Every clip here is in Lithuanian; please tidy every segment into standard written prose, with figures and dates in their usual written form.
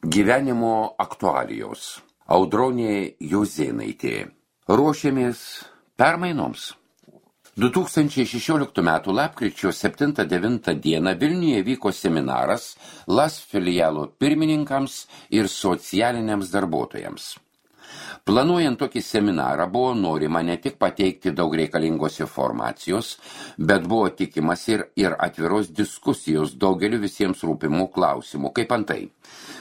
Gyvenimo aktualijos. Audronė Jozėnaitė. Ruošiamės permainoms. 2016 m. lapkričio 7-9 dieną Vilniuje vyko seminaras LAS filialo pirmininkams ir socialiniams darbuotojams. Planuojant tokį seminarą buvo norima ne tik pateikti daug reikalingos informacijos, bet buvo tikimas ir atviros diskusijos daugeliu visiems rūpimų klausimų, kaip antai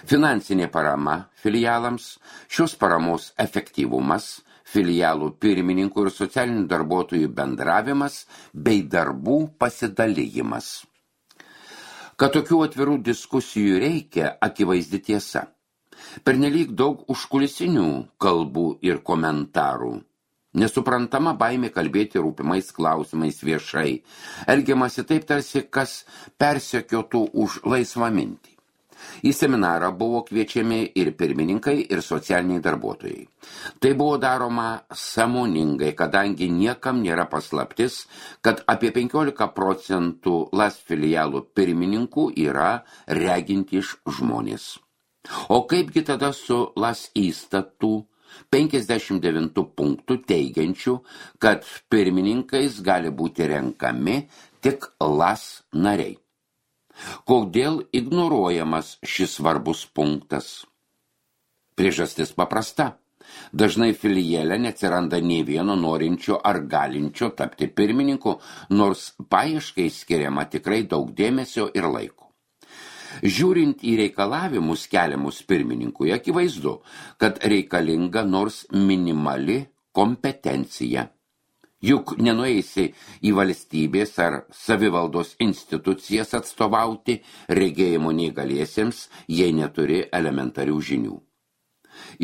finansinė parama filialams, šios paramos efektyvumas, filialų pirmininkų ir socialinių darbuotojų bendravimas bei darbų pasidalijimas. Kad tokių atvirų diskusijų reikia, akivaizdi tiesa. Pernelyg daug užkulisinių kalbų ir komentarų. Nesuprantama baimė kalbėti rūpimais klausimais viešai. Elgiamasi taip tarsi, kas persekiotų už laisvą mintį. Į seminarą buvo kviečiami ir pirmininkai, ir socialiniai darbuotojai. Tai buvo daroma sąmoningai, kadangi niekam nėra paslaptis, kad apie 15% LAS filialų pirmininkų yra regintys žmonės. O kaipgi tada su LAS įstatų 59 punktų teigiančių, kad pirmininkais gali būti renkami tik LAS nariai? Kodėl ignoruojamas šis svarbus punktas? Priežastis paprasta. Dažnai filiale neatsiranda nei vieno norinčio ar galinčio tapti pirmininku, nors paieškai skiriama tikrai daug dėmesio ir laiko. Žiūrint į reikalavimus keliamus pirmininkui, akivaizdu, kad reikalinga nors minimali kompetencija. Juk nenueisi į valstybės ar savivaldos institucijas atstovauti regėjimo neįgaliesiems, jei neturi elementarių žinių.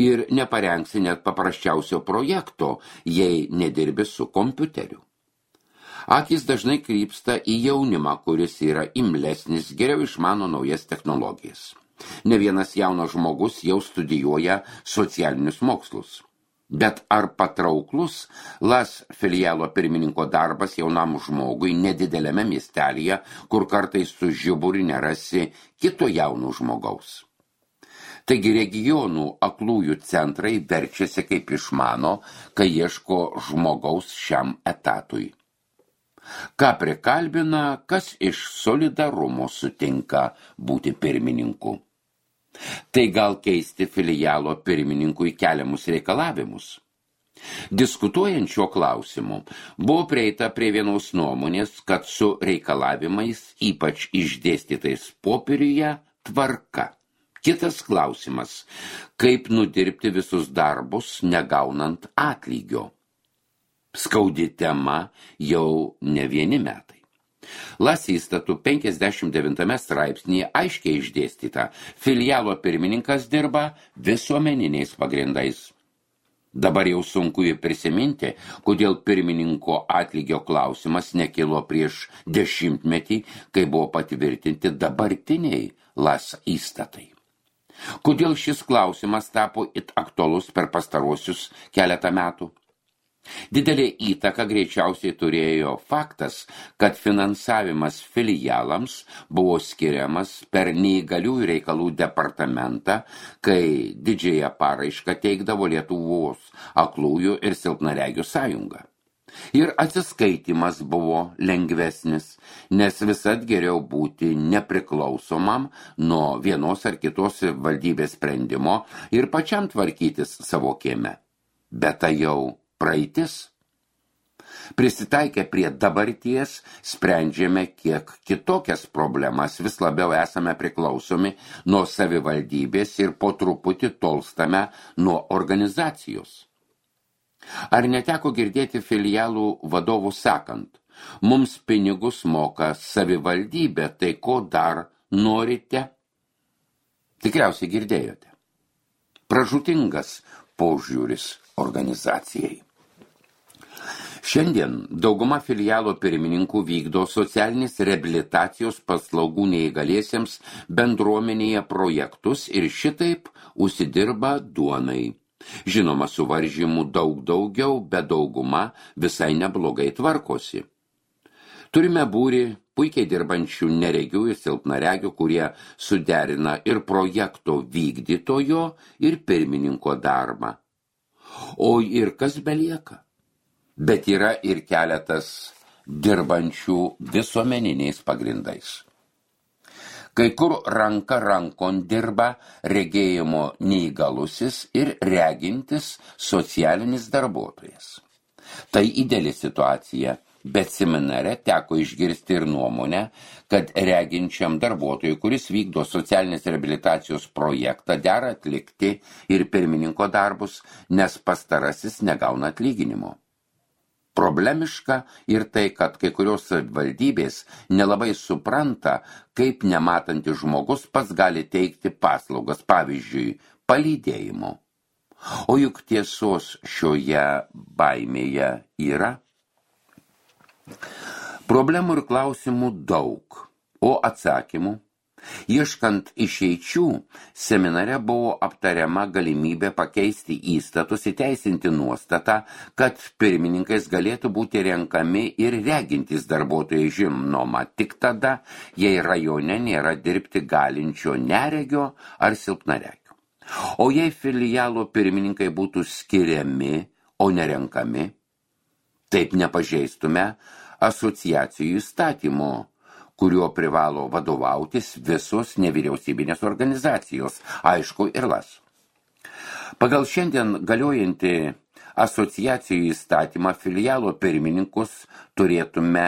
Ir neparengsi net paprasčiausio projekto, jei nedirbi su kompiuteriu. Akis dažnai krypsta į jaunimą, kuris yra imlesnis, geriau išmano naujas technologijas. Ne vienas jaunas žmogus jau studijuoja socialinius mokslus. Bet ar patrauklus LAS filialo pirmininko darbas jaunam žmogui nedidelėme miestelyje, kur kartais su žiburiu nerasi kito jauno žmogaus? Taigi regionų aklųjų centrai verčiasi kaip išmano, kai ieško žmogaus šiam etatui. Ką prikalbina, kas iš solidarumo sutinka būti pirmininku? Tai gal keisti filialo pirmininkui keliamus reikalavimus? Diskutuojant šiuo klausimu, buvo prieita prie vienos nuomonės, kad su reikalavimais, ypač išdėstytais popieriuje, tvarka. Kitas klausimas, kaip nudirbti visus darbus, negaunant atlygio. Skaudi tema jau ne vieni metai. LAS įstatų 59 straipsnėje aiškiai išdėstyta, filialo pirmininkas dirba visuomeniniais pagrindais. Dabar jau sunku prisiminti, kodėl pirmininko atlygio klausimas nekilo prieš 10 metį, kai buvo patvirtinti dabartiniai LAS įstatai. Kodėl šis klausimas tapo it aktualus per pastaruosius keletą metų? Didelė įtaka greičiausiai turėjo faktas, kad finansavimas filialams buvo skiriamas per neįgaliųjų reikalų departamentą, kai didžiąją paraišką teikdavo Lietuvos aklųjų ir silpnaregių sąjunga. Ir atsiskaitimas buvo lengvesnis, nes visad geriau būti nepriklausomam nuo vienos ar kitos valdybės sprendimo ir pačiam tvarkytis savo kieme. Bet tai jau praeitis. Prisitaikę prie dabarties, sprendžiame kiek kitokias problemas, vis labiau esame priklausomi nuo savivaldybės ir po truputį tolstame nuo organizacijos. Ar neteko girdėti filialų vadovų sakant, mums pinigus moka savivaldybė, tai ko dar norite? Tikriausiai girdėjote. Pražūtingas požiūris organizacijai. Šiandien dauguma filialo pirmininkų vykdo socialinės reabilitacijos paslaugų neįgaliesiems bendruomenėje projektus ir šitaip užsidirba duonai. Žinoma, suvaržymų daug daugiau, bet dauguma visai neblogai tvarkosi. Turime būrį puikiai dirbančių neregių ir silpnaregių, kurie suderina ir projekto vykdytojo, ir pirmininko darbą. O ir kas belieka? Bet yra ir keletas dirbančių visuomeniniais pagrindais. Kai kur ranka rankon dirba regėjimo neįgalusis ir regintis socialinis darbuotojas. Tai ideali situacija, bet seminare teko išgirsti ir nuomonę, kad reginčiam darbuotojui, kuris vykdo socialinės reabilitacijos projektą, dera atlikti ir pirmininko darbus, nes pastarasis negauna atlyginimo. Problemiška ir tai, kad kai kurios savivaldybės nelabai supranta, kaip nematantis žmogus pats gali teikti paslaugas, pavyzdžiui, palydėjimo. O juk tiesos šioje baimėje yra. Problemų ir klausimų daug, o atsakymų. Ieškant išeičių, seminare buvo aptariama galimybė pakeisti įstatus, įteisinti nuostatą, kad pirmininkais galėtų būti renkami ir regintys darbuotojai, žinoma tik tada, jei rajone nėra dirbti galinčio neregio ar silpnaregio. O jei filialo pirmininkai būtų skiriami, o nerenkami, taip nepažeistume asociacijų įstatymo, kuriuo privalo vadovautis visos nevyriausybinės organizacijos, aišku ir LAS. Pagal šiandien galiojantį asociacijų įstatymą filialo pirmininkus turėtume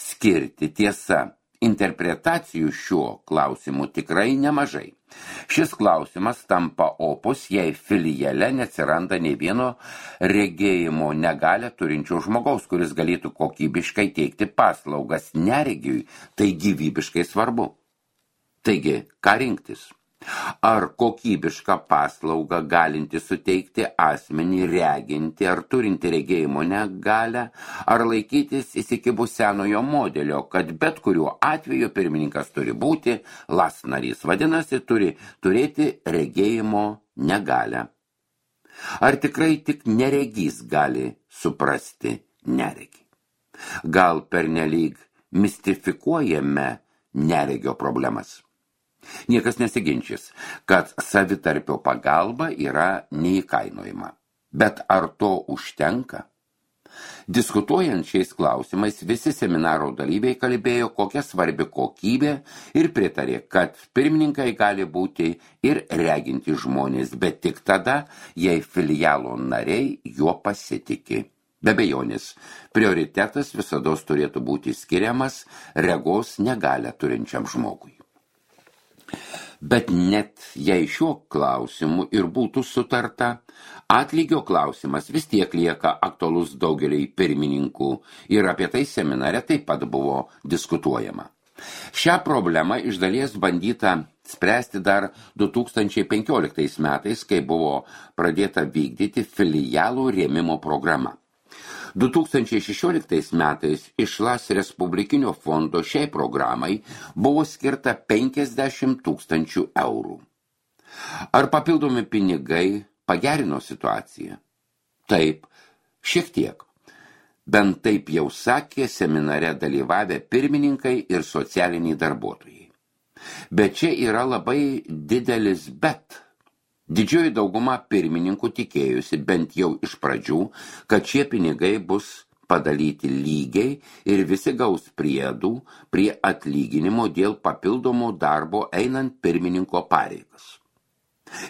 skirti. Tiesa, interpretacijų šiuo klausimu tikrai nemažai. Šis klausimas tampa opus, jei filiale neatsiranda nei vieno regėjimo negalią turinčio žmogaus, kuris galėtų kokybiškai teikti paslaugas neregiui, tai gyvybiškai svarbu. Taigi, ką rinktis? Ar kokybišką paslaugą galinti suteikti asmenį reginti ar turinti regėjimo negalią, ar laikytis įsikibus senojo modelio, kad bet kuriuo atveju pirmininkas turi būti LAS narys, vadinasi, turi turėti regėjimo negalią. Ar tikrai tik neregys gali suprasti neregį? Gal pernelyg mistifikuojame neregio problemas? Niekas nesiginčys, kad savitarpio pagalba yra neįkainojama. Bet ar to užtenka? Diskutuojant šiais klausimais, visi seminaro dalyviai kalbėjo, kokia svarbi kokybė ir pritarė, kad pirmininkai gali būti ir reginti žmonės, bet tik tada, jei filialo nariai juo pasitiki. Be abejonės, prioritetas visados turėtų būti skiriamas regos negalią turinčiam žmogui. Bet net jei šiuo klausimu ir būtų sutarta, atlygio klausimas vis tiek lieka aktualus daugeliai pirmininkų ir apie tai seminare taip pat buvo diskutuojama. Šią problemą iš dalies bandyta spręsti dar 2015 metais, kai buvo pradėta vykdyti filialų rėmimo programa. 2016 metais iš LAS Respublikinio fondo šiai programai buvo skirta 50 000 eurų. Ar papildomi pinigai pagerino situaciją? Taip, šiek tiek. Bent taip jau sakė seminare dalyvavę pirmininkai ir socialiniai darbuotojai. Bet čia yra labai didelis bet. Didžioji dauguma pirmininkų tikėjusi bent jau iš pradžių, kad šie pinigai bus padalyti lygiai ir visi gaus priedų prie atlyginimo dėl papildomo darbo einant pirmininko pareigas.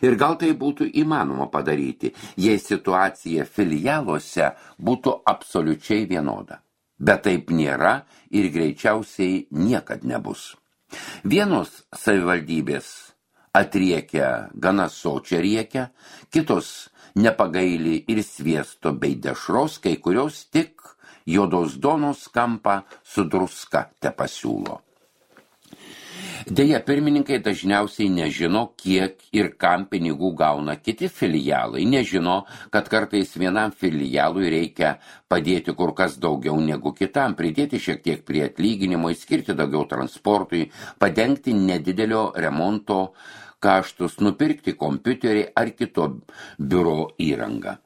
Ir gal tai būtų įmanoma padaryti, jei situacija filialuose būtų absoliučiai vienoda. Bet taip nėra ir greičiausiai niekad nebus. Vienos savivaldybės atriekia gana sočią riekę, kitos nepagaili ir sviesto bei dešros, kai kurios tik juodos duonos kampą su druska tepasiūlo. Deja, pirmininkai dažniausiai nežino, kiek ir kam pinigų gauna kiti filialai, nežino, kad kartais vienam filialui reikia padėti kur kas daugiau negu kitam, pridėti šiek tiek prie atlyginimo, skirti daugiau transportui, padengti nedidelio remonto kaštus, nupirkti kompiuterį ar kito biuro įrangą.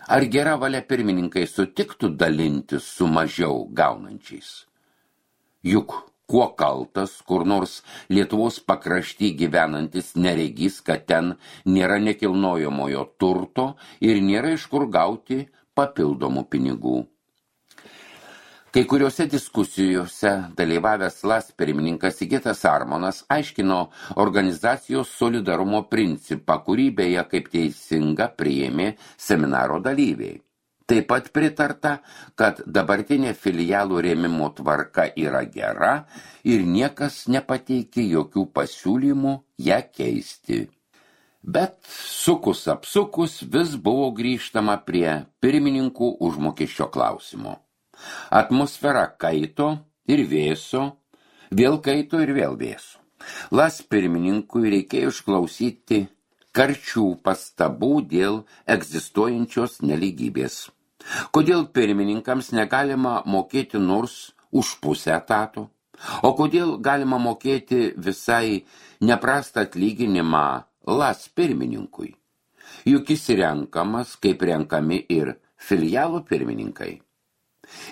Ar gera valia pirmininkai sutiktų dalintis su mažiau gaunančiais? Juk kuo kaltas kur nors Lietuvos pakrašty gyvenantis neregys, kad ten nėra nekilnojamojo turto ir nėra iš kur gauti papildomų pinigų. Kai kuriuose diskusijose dalyvavęs LAS pirmininkas Sigitas Armonas aiškino organizacijos solidarumo principą, kurį beje kaip teisinga priėmė seminaro dalyviai. Taip pat pritarta, kad dabartinė filialų rėmimo tvarka yra gera ir niekas nepateikė jokių pasiūlymų ją keisti. Bet sukus apsukus vis buvo grįžtama prie pirmininkų užmokesčio klausimo. Atmosfera kaito ir vėso, vėl kaito ir vėl vėso. LAS pirmininkui reikėjo išklausyti karčių pastabų dėl egzistuojančios nelygybės. Kodėl pirmininkams negalima mokėti nors už pusę etato? O kodėl galima mokėti visai neprastą atlyginimą LAS pirmininkui? Juk jis renkamas, kaip renkami ir filialų pirmininkai.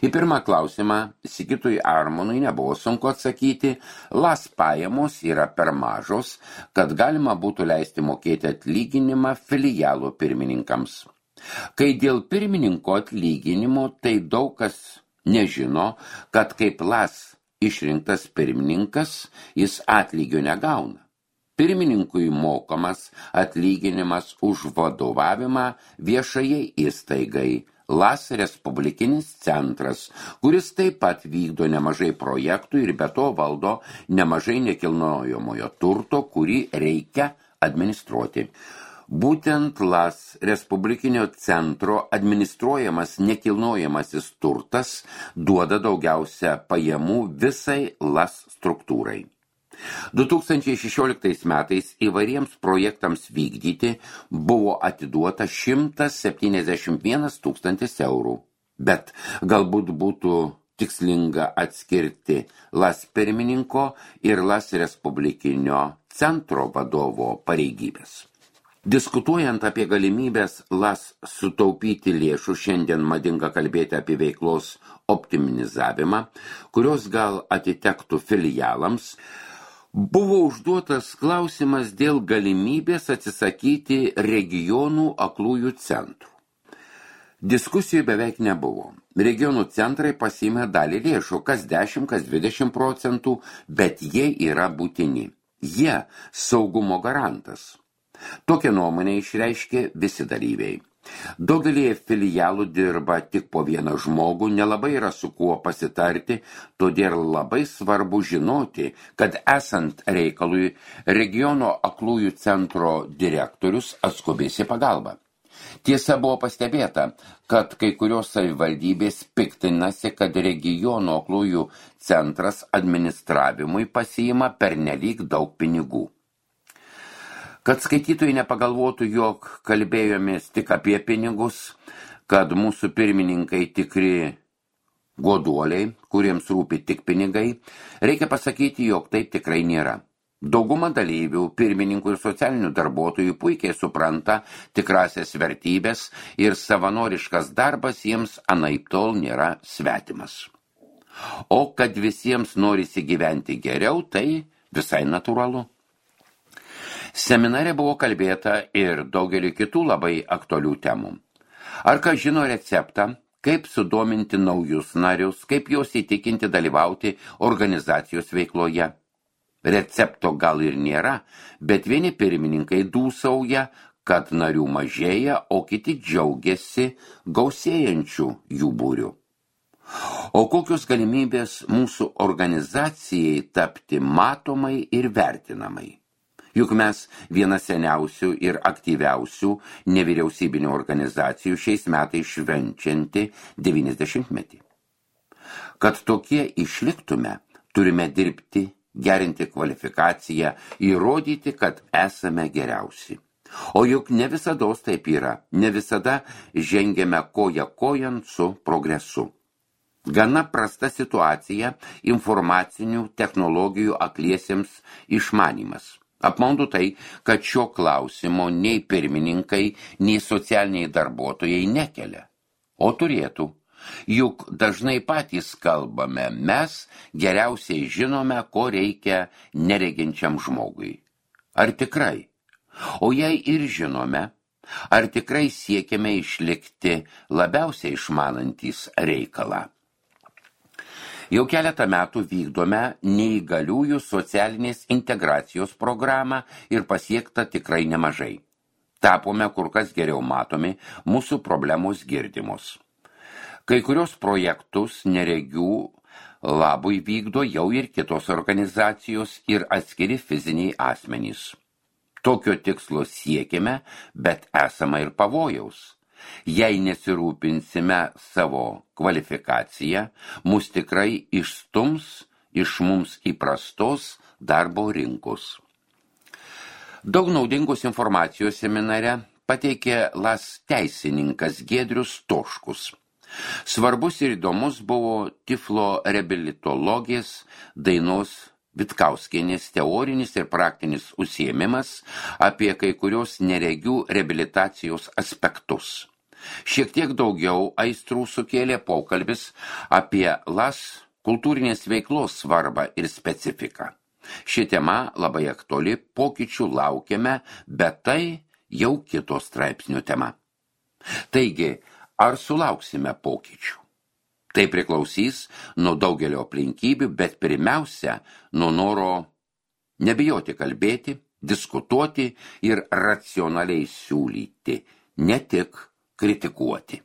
Į pirmą klausimą Sigitui Armonui nebuvo sunku atsakyti, LAS pajamos yra per mažos, kad galima būtų leisti mokėti atlyginimą filialų pirmininkams. Kai dėl pirmininko atlyginimo, tai daug kas nežino, kad kaip LAS išrinktas pirmininkas, jis atlygio negauna. Pirmininkui mokamas atlyginimas už vadovavimą viešajai įstaigai, LAS Respublikinis centras, kuris taip pat vykdo nemažai projektų ir be to valdo nemažai nekilnojamojo turto, kurį reikia administruoti. Būtent LAS Respublikinio centro administruojamas nekilnojamasis turtas duoda daugiausia pajamų visai LAS struktūrai. 2016 metais įvairiems projektams vykdyti buvo atiduota 171 000 eurų. Bet galbūt būtų tikslinga atskirti LAS pirmininko ir LAS Respublikinio centro vadovo pareigybės. Diskutuojant apie galimybės LAS sutaupyti lėšų, šiandien madinga kalbėti apie veiklos optimizavimą, kurios gal atitektų filialams, buvo užduotas klausimas dėl galimybės atsisakyti regionų aklųjų centrų. Diskusijų beveik nebuvo. Regionų centrai pasiėmė dalį lėšų, kas 10, kas 20%, bet jie yra būtini. Jie saugumo garantas. Tokią nuomonę išreiškė visi dalyviai. Daugelį filialų dirba tik po vieną žmogų, nelabai yra su kuo pasitarti, todėl labai svarbu žinoti, kad esant reikalui regiono aklųjų centro direktorius atskubės į pagalbą. Tiesa, buvo pastebėta, kad kai kurios savivaldybės piktinasi, kad regiono aklųjų centras administravimui pasiima pernelyg daug pinigų. Kad skaitytojai nepagalvotų, jog kalbėjomės tik apie pinigus, kad mūsų pirmininkai tikri goduoliai, kuriems rūpi tik pinigai, reikia pasakyti, jog taip tikrai nėra. Dauguma dalyvių, pirmininkų ir socialinių darbuotojų puikiai supranta tikrasias vertybės ir savanoriškas darbas jiems anaiptol nėra svetimas. O kad visiems norisi gyventi geriau, tai visai natūralu. Seminare buvo kalbėta ir daugelį kitų labai aktualių temų. Ar kas žino receptą, kaip sudominti naujus narius, kaip juos įtikinti dalyvauti organizacijos veikloje? Recepto gal ir nėra, bet vieni pirmininkai dūsauja, kad narių mažėja, o kiti džiaugiasi gausėjančių jų būrių. O kokios galimybės mūsų organizacijai tapti matomai ir vertinamai? Juk mes viena seniausių ir aktyviausių nevyriausybinių organizacijų šiais metais švenčianti 90-metį. Kad tokie išliktume, turime dirbti, gerinti kvalifikaciją, įrodyti, kad esame geriausi. O juk ne visados taip yra, ne visada žengiame koja kojant su progresu. Gana prasta situacija informacinių technologijų akliesiems išmanymas. Apmaudu tai, kad šio klausimo nei pirmininkai, nei socialiniai darbuotojai nekelia. O turėtų. Juk dažnai patys kalbame, mes geriausiai žinome, ko reikia nereginčiam žmogui. Ar tikrai? O jei ir žinome, ar tikrai siekiame išlikti labiausiai išmanantys reikalą? Jau keletą metų vykdome neįgaliųjų socialinės integracijos programą ir pasiekta tikrai nemažai. Tapome kur kas geriau matomi, mūsų problemos girdimos. Kai kurios projektus neregių labui vykdo jau ir kitos organizacijos ir atskiri fiziniai asmenys. Tokio tikslo siekime, bet esama ir pavojaus. Jei nesirūpinsime savo kvalifikaciją, mus tikrai išstums iš mums įprastos darbo rinkos. Daug naudingos informacijos seminare pateikė LAS teisininkas Giedrius Stoškus. Svarbus ir įdomus buvo tiflo reabilitologės Dainos Vitkauskienės teorinis ir praktinis užsiėmimas apie kai kurios neregių reabilitacijos aspektus. Šiek tiek daugiau aistrų sukėlė pokalbis apie LAS kultūrinės veiklos svarbą ir specifiką. Ši tema labai aktuali, pokyčių laukiame, bet tai jau kito straipsnio tema. Taigi, ar sulauksime pokyčių? Tai priklausys nuo daugelio aplinkybių, bet pirmiausia, nuo noro nebijoti kalbėti, diskutuoti ir racionaliai siūlyti, ne tik kritikuoti.